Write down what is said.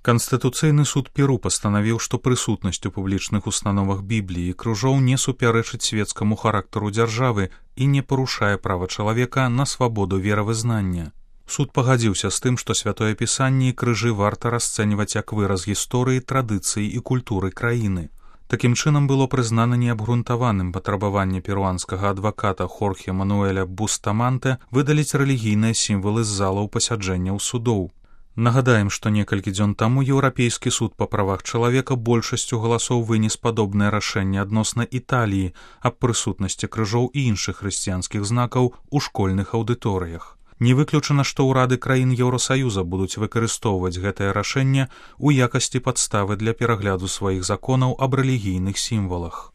Канстытуцыйны суд Перу пастанавіў, што прысутнасць у публічных установах Бібліі і крыжоў не супярэчыць свецкаму характару дзяржавы і не парушае права чалавека на свабоду веравызнання. Суд пагадзіўся з тым, што святое пісанне і крыжы варта расцэньваць як выраз гісторыі, традыцыі і культуры краіны. Такім чынам было прызнана неабгрунтаваным патрабаванне перуанскага адваката Хорхе Мануэля Бустаманте выдаліць рэлігійныя сімвалы з залаў пасяджэнняў судоў. Нагадаем, што некалькі дзён таму Еўрапейскі суд па правах чалавека большасцю галасоў вынес падобнае рашэнне адносна Італіі аб прысутнасці крыжоў і іншых хрысціянскіх знакаў у школьных аўдыторыях. Не выключана, што ўрады краін Еўрасаюза будуць выкарыстоўваць гэтае рашэнне ў якасці падставы для перагляду сваіх законаў аб рэлігійных сімвалах.